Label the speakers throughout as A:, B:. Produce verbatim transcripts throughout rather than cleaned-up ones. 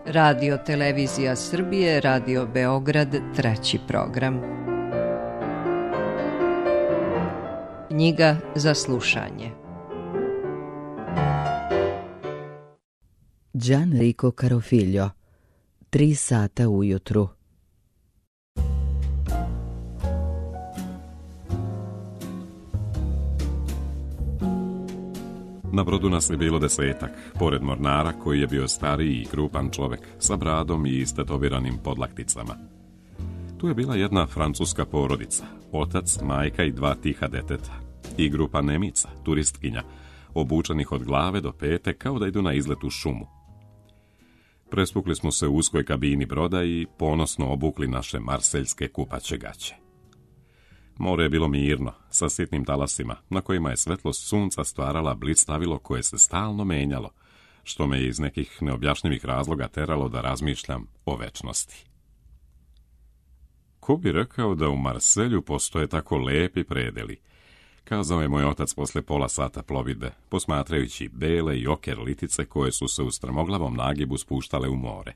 A: Radio Televizija Srbije, Radio Beograd, treći program. Knjiga za slušanje.
B: Gianrico Carofiglio, Tri sata ujutru.
C: Na brodu nas je bilo desetak, pored mornara koji je bio stariji i krupan čovek, sa bradom i istetoviranim podlakticama. Tu je bila jedna francuska porodica, otac, majka i dva tiha deteta, i grupa Nemica, turistkinja, obučenih od glave do pete kao da idu na izlet u šumu. Prespukli smo se u uskoj kabini broda i ponosno obukli naše marseljske kupaće gaće. More je bilo mirno, sa sitnim talasima, na kojima je svetlost sunca stvarala blistavilo koje se stalno menjalo, što me je iz nekih neobjašnjivih razloga teralo da razmišljam o večnosti. Ko bi rekao da u Marselju postoje tako lepi predeli, kazao je moj otac posle pola sata plovidbe, posmatrajući bele i oker litice koje su se u strmoglavom nagibu spuštale u more.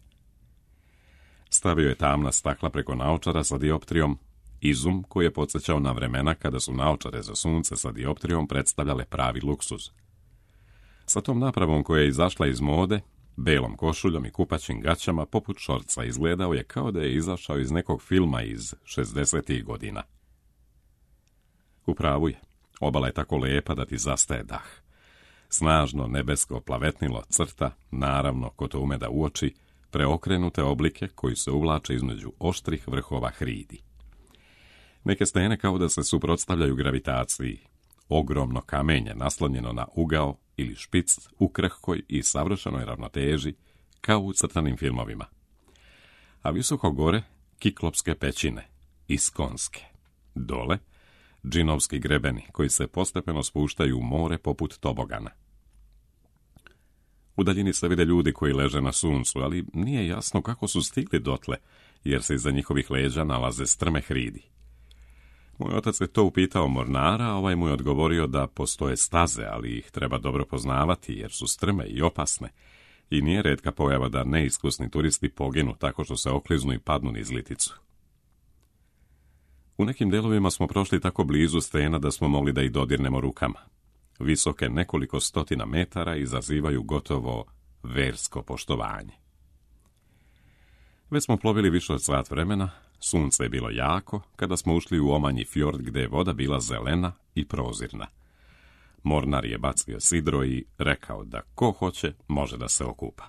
C: Stavio je tamna stakla preko naočara sa dioptrijom, izum koji je podsjećao na vremena kada su naočare za sunce sa dioptrijom predstavljale pravi luksuz. Sa tom napravom koja je izašla iz mode, belom košuljom i kupaćim gaćama poput šorca, izgledao je kao da je izašao iz nekog filma iz šezdesetih godina. U pravu je, obala je tako lepa da ti zastaje dah. Snažno nebesko plavetnilo crta, naravno ko to ume da uoči, preokrenute oblike koji se uvlače između oštrih vrhova hridi. Neke stene kao da se suprotstavljaju gravitaciji. Ogromno kamenje naslonjeno na ugao ili špic u krhkoj i savršenoj ravnoteži, kao u crtanim filmovima. A visoko gore kiklopske pećine, iskonske. Dole džinovski grebeni koji se postepeno spuštaju u more poput tobogana. U daljini se vide ljudi koji leže na suncu, ali nije jasno kako su stigli dotle, jer se iza njihovih leđa nalaze strme hridi. Moj otac je to upitao mornara, a ovaj mu je odgovorio da postoje staze, ali ih treba dobro poznavati jer su strme i opasne i nije retka pojava da neiskusni turisti poginu tako što se okliznu i padnu niz liticu. U nekim delovima smo prošli tako blizu stena da smo mogli da ih dodirnemo rukama. Visoke nekoliko stotina metara izazivaju gotovo versko poštovanje. Već smo plovili više od sat vremena, sunce je bilo jako kada smo ušli u omanji fjord gde je voda bila zelena i prozirna. Mornar je bacio sidro i rekao da ko hoće može da se okupa.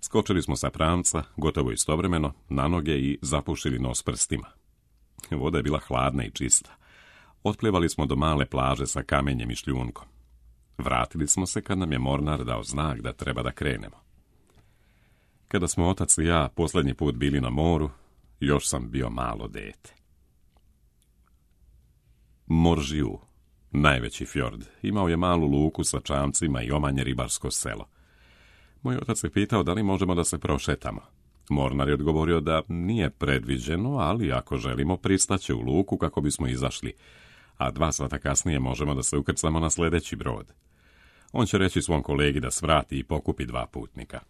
C: Skočili smo sa pramca, gotovo istovremeno, na noge i zapušili nos prstima. Voda je bila hladna i čista. Otplivali smo do male plaže sa kamenjem i šljunkom. Vratili smo se kad nam je mornar dao znak da treba da krenemo. Kada smo otac i ja posljednji put bili na moru, još sam bio malo dete. Moržiju, najveći fjord, imao je malu luku sa čamcima i omanje ribarsko selo. Moj otac je pitao da li možemo da se prošetamo. Mornar je odgovorio da nije predviđeno, ali ako želimo pristaće u luku kako bismo izašli, a dva sata kasnije možemo da se ukrcamo na sljedeći brod. On će reći svom kolegi da svrati i pokupi dva putnika.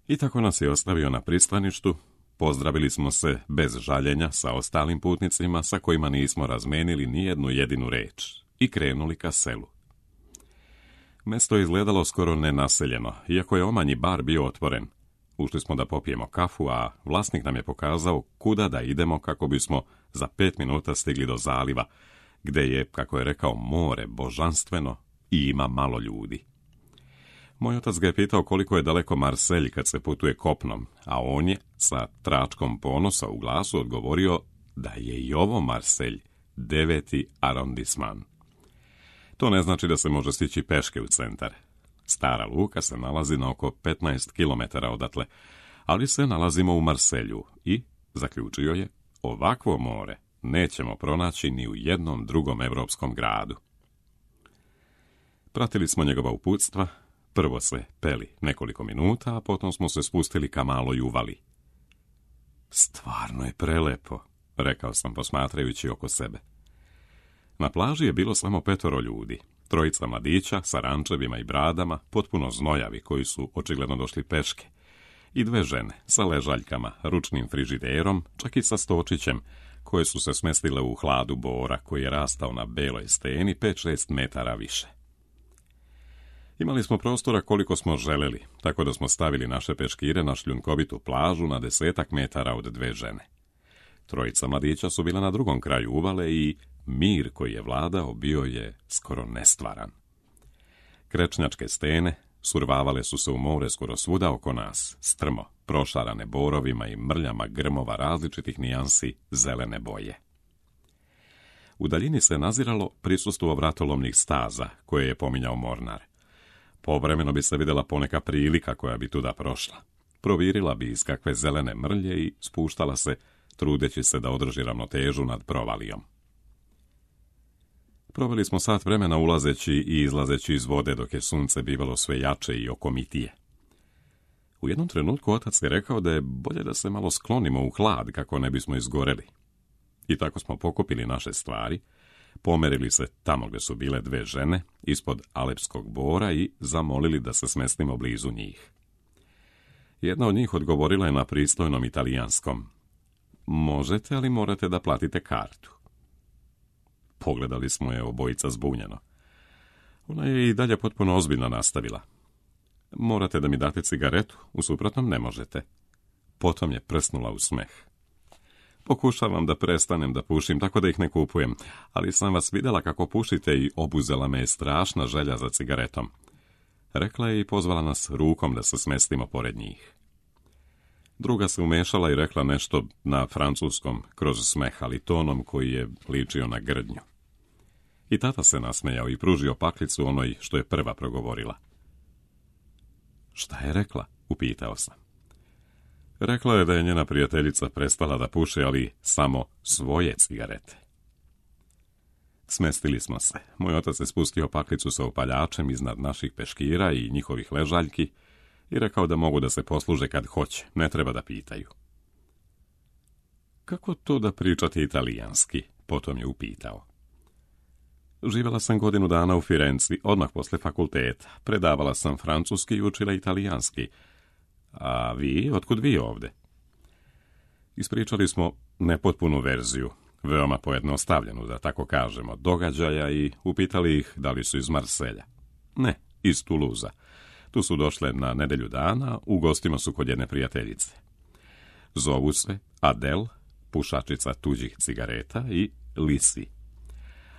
C: I tako nas je ostavio na pristaništu, pozdravili smo se bez žaljenja sa ostalim putnicima sa kojima nismo razmenili ni jednu jedinu reč i krenuli ka selu. Mesto je izgledalo skoro nenaseljeno, iako je omanji bar bio otvoren. Ušli smo da popijemo kafu, a vlasnik nam je pokazao kuda da idemo kako bismo za pet minuta stigli do zaliva, gde je, kako je rekao, more božanstveno i ima malo ljudi. Moj otac ga je pitao koliko je daleko Marselj kad se putuje kopnom, a on je sa tračkom ponosa u glasu odgovorio da je i ovo Marselj, deveti arondisman. To ne znači da se može stići peške u centar. Stara luka se nalazi na oko petnaest kilometara odatle, ali se nalazimo u Marselju i, zaključio je, ovakvo more nećemo pronaći ni u jednom drugom evropskom gradu. Pratili smo njegova uputstva, prvo se peli nekoliko minuta, a potom smo se spustili ka maloj uvali. Stvarno je prelepo, rekao sam posmatrajući oko sebe. Na plaži je bilo samo petoro ljudi, trojica mladića sa rančevima i bradama, potpuno znojavi koji su očigledno došli peške, i dve žene sa ležaljkama, ručnim frižiderom, čak i sa stočićem, koje su se smestile u hladu bora koji je rastao na beloj steni pet šest metara više. Imali smo prostora koliko smo želeli, tako da smo stavili naše peškire na šljunkovitu plažu na desetak metara od dve žene. Trojica mladića su bila na drugom kraju uvale i mir koji je vladao bio je skoro nestvaran. Krečnjačke stene survavale su se u more skoro svuda oko nas, strmo, prošarane borovima i mrljama grmova različitih nijansi zelene boje. U daljini se naziralo prisustvo vratolomnih staza, koje je pominjao Mornar. Povremeno bi se vidjela poneka prilika koja bi tuda prošla. Provirila bi iz kakve zelene mrlje i spuštala se, trudeći se da održi ravnotežu nad provalijom. Proveli smo sat vremena ulazeći i izlazeći iz vode dok je sunce bivalo sve jače i okomitije. U jednom trenutku otac je rekao da je bolje da se malo sklonimo u hlad kako ne bismo izgoreli. I tako smo pokupili naše stvari, pomerili se tamo gdje su bile dve žene, ispod alepskog bora i zamolili da se smestimo blizu njih. Jedna od njih odgovorila je na pristojnom italijanskom: možete, ali morate da platite kartu. Pogledali smo je obojica zbunjeno. Ona je i dalje potpuno ozbiljno nastavila: morate da mi date cigaretu, u suprotnom ne možete. Potom je prsnula u smeh. Pokušavam da prestanem da pušim, tako da ih ne kupujem, ali sam vas vidjela kako pušite i obuzela me je strašna želja za cigaretom. Rekla je i pozvala nas rukom da se smestimo pored njih. Druga se umešala i rekla nešto na francuskom kroz smeh, ali tonom koji je ličio na grdnju. I tata se nasmejao i pružio paklicu onoj što je prva progovorila. Šta je rekla? Upitao sam. Rekla je da je njena prijateljica prestala da puši, ali samo svoje cigarete. Smestili smo se. Moj otac je spustio paklicu sa upaljačem iznad naših peškira i njihovih ležaljki i rekao da mogu da se posluže kad hoće, ne treba da pitaju. Kako to da pričate italijanski? Potom je upitao. Živjela sam godinu dana u Firenci, odmah posle fakulteta. Predavala sam francuski i učila italijanski. A vi, otkud vi ovde? Ispričali smo nepotpunu verziju, veoma pojednostavljenu, da tako kažemo, događaja i upitali ih da li su iz Marselja. Ne, iz Tuluza. Tu su došle na nedelju dana, u gostima su kod jedne prijateljice. Zovu se Adel, pušačica tuđih cigareta, i Lisi.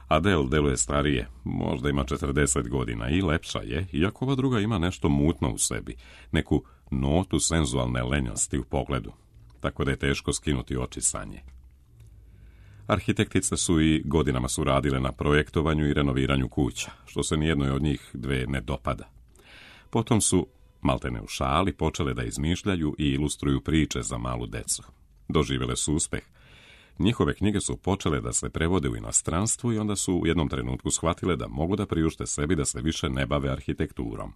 C: Adel deluje starije, možda ima četrdeset godina i lepša je, iako ova druga ima nešto mutno u sebi, neku notu senzualne lenjosti u pogledu, tako da je teško skinuti oči sa nje. Arhitektice su i godinama su radile na projektovanju i renoviranju kuća, što se nijednoj od njih dve ne dopada. Potom su, maltene u šali, počele da izmišljaju i ilustruju priče za malu decu. Doživjele su uspeh. Njihove knjige su počele da se prevode u inostranstvu i onda su u jednom trenutku shvatile da mogu da priušte sebi da se više ne bave arhitekturom.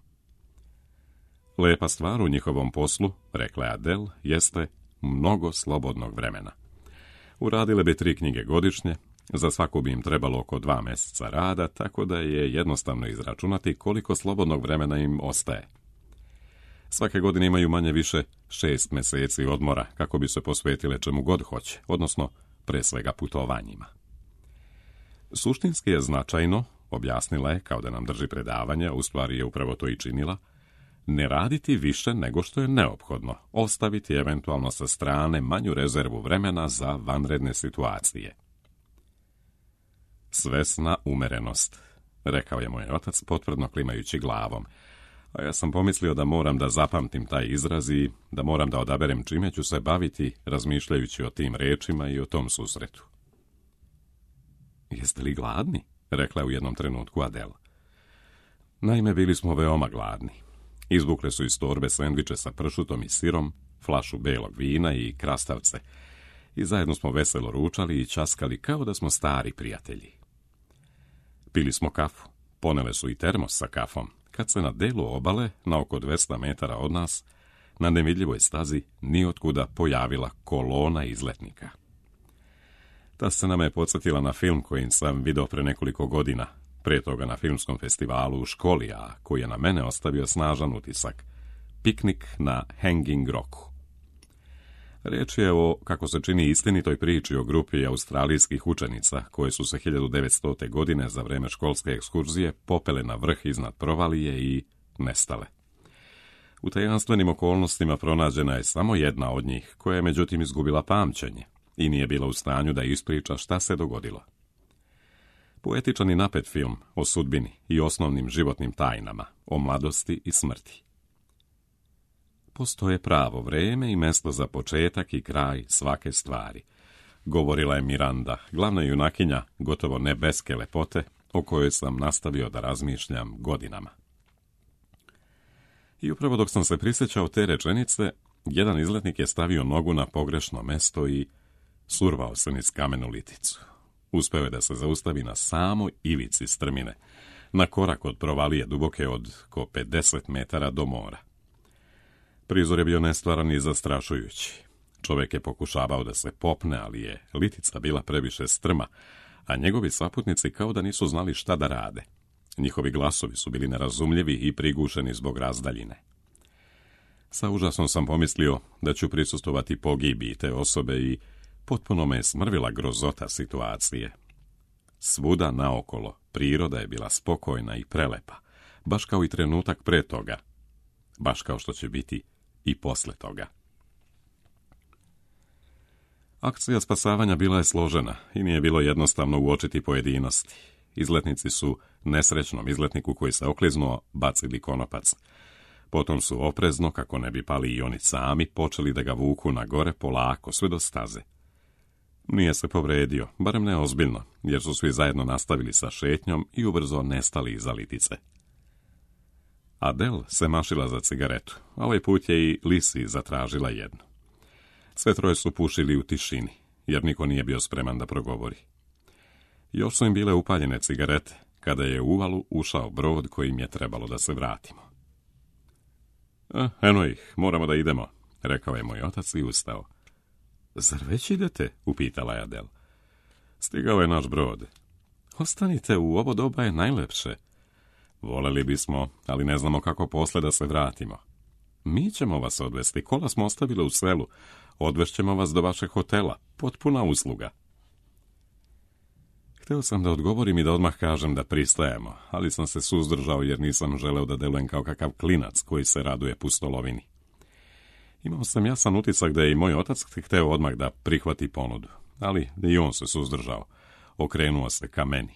C: Lepa stvar u njihovom poslu, rekla je Adel, jeste mnogo slobodnog vremena. Uradile bi tri knjige godišnje, za svaku bi im trebalo oko dva mjeseca rada, tako da je jednostavno izračunati koliko slobodnog vremena im ostaje. Svake godine imaju manje više šest mjeseci odmora kako bi se posvetile čemu god hoće, odnosno pre svega putovanjima. Suštinski je značajno, objasnila je kao da nam drži predavanje, u stvari je upravo to i činila, ne raditi više nego što je neophodno, ostaviti eventualno sa strane manju rezervu vremena za vanredne situacije. Svesna umerenost, rekao je moj otac potvrdno klimajući glavom, a ja sam pomislio da moram da zapamtim taj izraz i da moram da odaberem čime ću se baviti razmišljajući o tim rečima i o tom susretu. Jeste li gladni? Rekla je u jednom trenutku Adel. Naime, bili smo veoma gladni. Izvukle su iz torbe sendviče sa pršutom i sirom, flašu belog vina i krastavce i zajedno smo veselo ručali i ćaskali kao da smo stari prijatelji. Pili smo kafu, ponele su i termos sa kafom, kad se na delu obale, na oko dvesta metara od nas, na nevidljivoj stazi nijotkuda pojavila kolona izletnika. Ta scena me je podsjetila na film koji sam video pre nekoliko godina, pre toga na filmskom festivalu u školi, a koji je na mene ostavio snažan utisak. piknik na Hanging Rocku. Riječ je o, kako se čini, istinitoj priči o grupi australijskih učenica koje su se hiljadu devetstote. godine za vrijeme školske ekskurzije popele na vrh iznad provalije i nestale. U tajanstvenim okolnostima pronađena je samo jedna od njih, koja je međutim izgubila pamćenje i nije bila u stanju da ispriča šta se dogodilo. Poetičan i napet film o sudbini i osnovnim životnim tajnama, o mladosti i smrti. Postoje pravo vrijeme i mjesto za početak i kraj svake stvari, govorila je Miranda, glavna junakinja gotovo nebeske lepote, o kojoj sam nastavio da razmišljam godinama. I upravo dok sam se prisjećao te rečenice, jedan izletnik je stavio nogu na pogrešno mesto i survao se niz kamenu liticu. Uspeo je da se zaustavi na samoj ivici strmine, na korak od provalije duboke od ko pedeset metara do mora. Prizor je bio nestvaran i zastrašujući. Čovjek je pokušavao da se popne, ali je litica bila previše strma, a njegovi saputnici kao da nisu znali šta da rade. Njihovi glasovi su bili nerazumljivi i prigušeni zbog razdaljine. Sa užasom sam pomislio da ću prisustvovati pogibiji te osobe i potpuno me je smrvila grozota situacije. Svuda naokolo priroda je bila spokojna i prelepa, baš kao i trenutak pre toga, baš kao što će biti i posle toga. Akcija spasavanja bila je složena i nije bilo jednostavno uočiti pojedinosti. Izletnici su nesrećnom izletniku koji se okliznuo bacili konopac. Potom su oprezno, kako ne bi pali i oni sami, počeli da ga vuku na gore polako, sve do staze. Nije se povredio, barem ne ozbiljno, jer su svi zajedno nastavili sa šetnjom i ubrzo nestali iza litice. Adele se mašila za cigaretu, a ovaj put je i Lisi zatražila jednu. Sve troje su pušili u tišini, jer niko nije bio spreman da progovori. Još su im bile upaljene cigarete, kada je u uvalu ušao brod kojim je trebalo da se vratimo. E, eno ih, moramo da idemo, rekao je moj otac i ustao. Zar već idete? Upitala je Adele. Stigao je naš brod. Ostanite, u ovo doba je najlepše. Voleli bismo, ali ne znamo kako posle da se vratimo. Mi ćemo vas odvesti, kola smo ostavili u selu. Odvešćemo vas do vašeg hotela, potpuna usluga. Hteo sam da odgovorim i da odmah kažem da pristajemo, ali sam se suzdržao jer nisam želeo da delujem kao kakav klinac koji se raduje pustolovini. Imao sam jasan utisak da je i moj otac hteo odmah da prihvati ponudu, ali i on se suzdržao. Okrenuo se ka meni.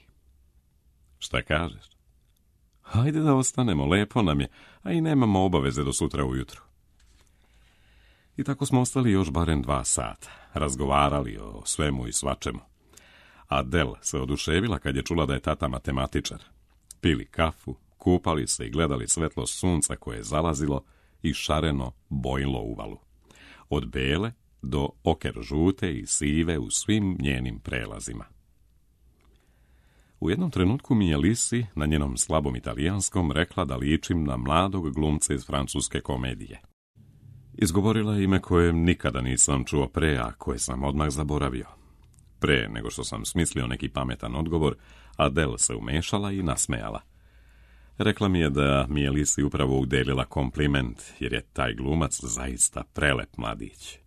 C: Šta kažeš? Hajde da ostanemo, lepo nam je, a i nemamo obaveze do sutra ujutru. I tako smo ostali još barem dva sata, razgovarali o svemu i svačemu. Adele se oduševila kad je čula da je tata matematičar. Pili kafu, kupali se i gledali svetlo sunca koje je zalazilo i šareno bojilo uvalu. Od bele do oker žute i sive u svim njenim prelazima. U jednom trenutku mi je Lisi, na njenom slabom italijanskom, rekla da ličim na mladog glumca iz francuske komedije. Izgovorila je ime koje nikada nisam čuo pre, a koje sam odmah zaboravio. Pre nego što sam smislio neki pametan odgovor, Adele se umešala i nasmejala. Rekla mi je da mi je Lisi upravo udelila kompliment, jer je taj glumac zaista prelep mladić.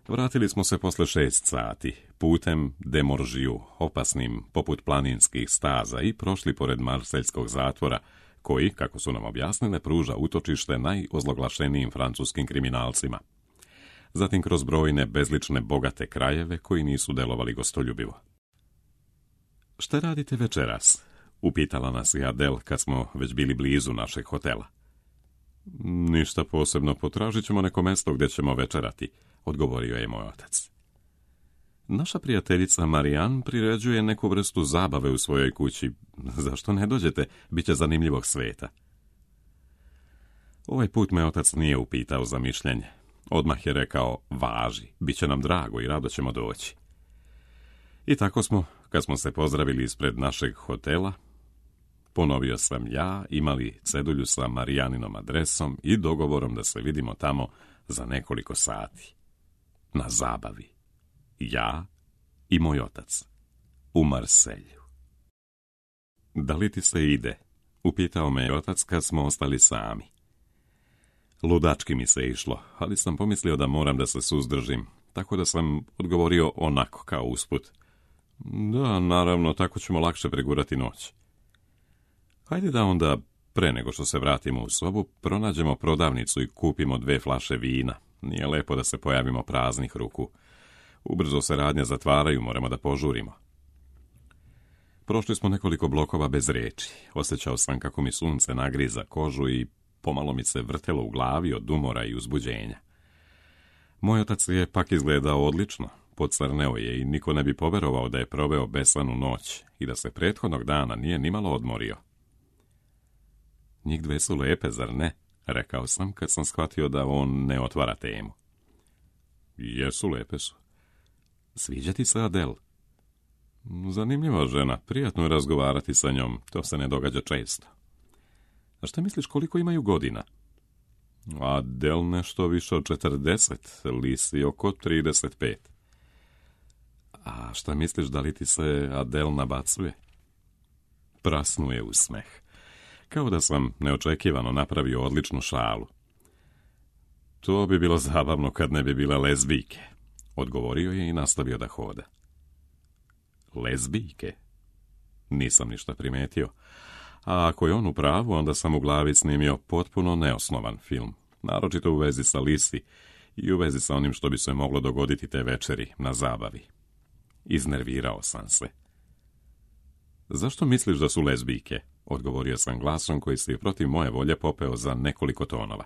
C: Vratili smo se posle šest sati, putem de Moržiju, opasnim poput planinskih staza, i prošli pored marseljskog zatvora, koji, kako su nam objasnile, pruža utočište najozloglašenijim francuskim kriminalcima. Zatim kroz brojne, bezlične, bogate krajeve koji nisu delovali gostoljubivo. Šta radite večeras? Upitala nas i Adele kad smo već bili blizu našeg hotela. Ništa posebno, potražit ćemo neko mesto gdje ćemo večerati, odgovorio je moj otac. Naša prijateljica Marijan priređuje neku vrstu zabave u svojoj kući. Zašto ne dođete? Biće zanimljivog sveta. Ovaj put me otac nije upitao za mišljenje. Odmah je rekao, važi, bit će nam drago i rado ćemo doći. I tako smo, kad smo se pozdravili ispred našeg hotela, ponovio sam ja, imali cedulju sa Marijaninom adresom i dogovorom da se vidimo tamo za nekoliko sati. Na zabavi. Ja i moj otac. U Marselju. Da li ti se ide? Upitao me otac kad smo ostali sami. Ludački mi se išlo, ali sam pomislio da moram da se suzdržim, tako da sam odgovorio onako kao usput. Da, naravno, tako ćemo lakše pregurati noć. Hajde da onda, pre nego što se vratimo u sobu, pronađemo prodavnicu i kupimo dve flaše vina. Nije lepo da se pojavimo praznih ruku. Ubrzo se radnje zatvaraju, moramo da požurimo. Prošli smo nekoliko blokova bez reči. Osjećao sam kako mi sunce nagriza kožu i pomalo mi se vrtelo u glavi od umora i uzbuđenja. Moj otac je pak izgledao odlično. Pocrneo je i niko ne bi poverovao da je proveo besanu noć i da se prethodnog dana nije nimalo odmorio. Njih dve su lepe, zar ne? Rekao sam kad sam shvatio da on ne otvara temu. Jesu, lepe su. Sviđa ti se Adele? Zanimljiva žena, prijatno je razgovarati sa njom, to se ne događa često. A šta misliš koliko imaju godina? Adele nešto više od četrdeset, Lisi oko trideset pet. A šta misliš da li ti se Adele nabacuje? Prasnuje u smeh. Kao da sam neočekivano napravio odličnu šalu. To bi bilo zabavno kad ne bi bile lezbijke, odgovorio je i nastavio da hoda. Lezbijke? Nisam ništa primetio. A ako je on u pravu, onda sam u glavi snimio potpuno neosnovan film, naročito u vezi sa Lisi i u vezi sa onim što bi se moglo dogoditi te večeri na zabavi. Iznervirao sam se. Zašto misliš da su lezbijke? Odgovorio sam glasom koji se protiv moje volje popeo za nekoliko tonova.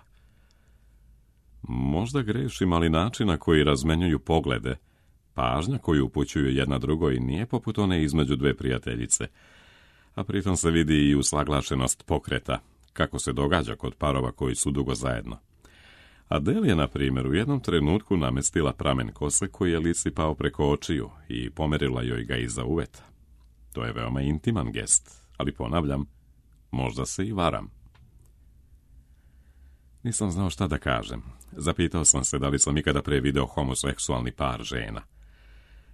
C: Možda grešim, ali način na koji razmenjuju poglede, pažnja koju upućuju jedna drugoj nije poput one između dve prijateljice, a pritom se vidi i usaglašenost pokreta, kako se događa kod parova koji su dugo zajedno. Adele je, na primjer, u jednom trenutku namestila pramen kose koji je Lisi pao preko očiju i pomerila joj ga iza uveta. To je veoma intiman gest, ali ponavljam, možda se i varam. Nisam znao šta da kažem. Zapitao sam se da li sam ikada pre video homoseksualni par žena.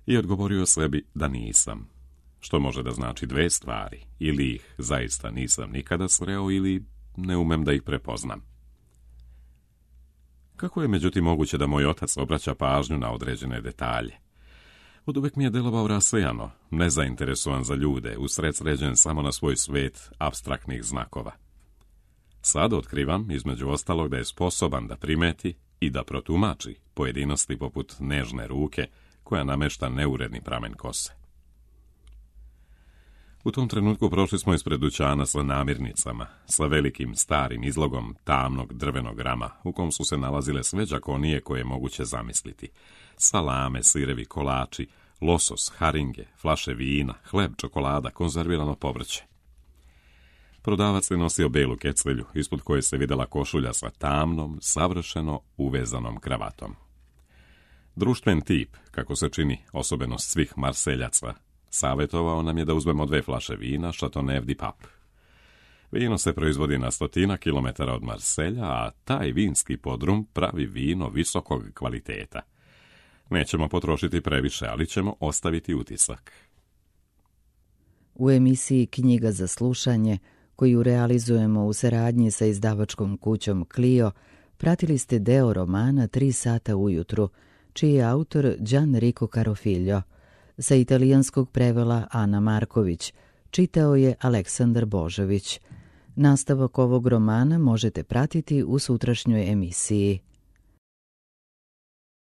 C: I odgovorio sebi da nisam. Što može da znači dve stvari. Ili ih zaista nisam nikada sreo, ili ne umem da ih prepoznam. Kako je međutim moguće da moj otac obraća pažnju na određene detalje? Od uvek mi je delovao rasejano, nezainteresovan za ljude, usredsređen samo na svoj svet apstraktnih znakova. Sad otkrivam, između ostalog, da je sposoban da primeti i da protumači pojedinosti poput nežne ruke koja namešta neuredni pramen kose. U tom trenutku prošli smo ispred dućana sa namirnicama, sa velikim starim izlogom tamnog drvenog rama, u kom su se nalazile sve đakonije koje je moguće zamisliti. Salame, sirevi, kolači, losos, haringe, flaše vina, hleb, čokolada, konzervirano povrće. Prodavac je nosio belu kecvelju, ispod koje se videla košulja sa tamnom, savršeno uvezanom kravatom. Društven tip, kako se čini osobenost svih Marseljaca, savjetovao nam je da uzmemo dve flaše vina Chateauneuf du Pape. Vino se proizvodi na stotina kilometara od Marselja, a taj vinski podrum pravi vino visokog kvaliteta. Nećemo potrošiti previše, ali ćemo ostaviti utisak.
B: U emisiji Knjiga za slušanje, koju realizujemo u saradnji sa izdavačkom kućom Clio, pratili ste deo romana Tri sata ujutru, čiji je autor Gianrico Carofiglio. Sa italijanskog prevela Ana Marković, čitao je Aleksandar Božović. Nastavak ovog romana možete pratiti u sutrašnjoj emisiji.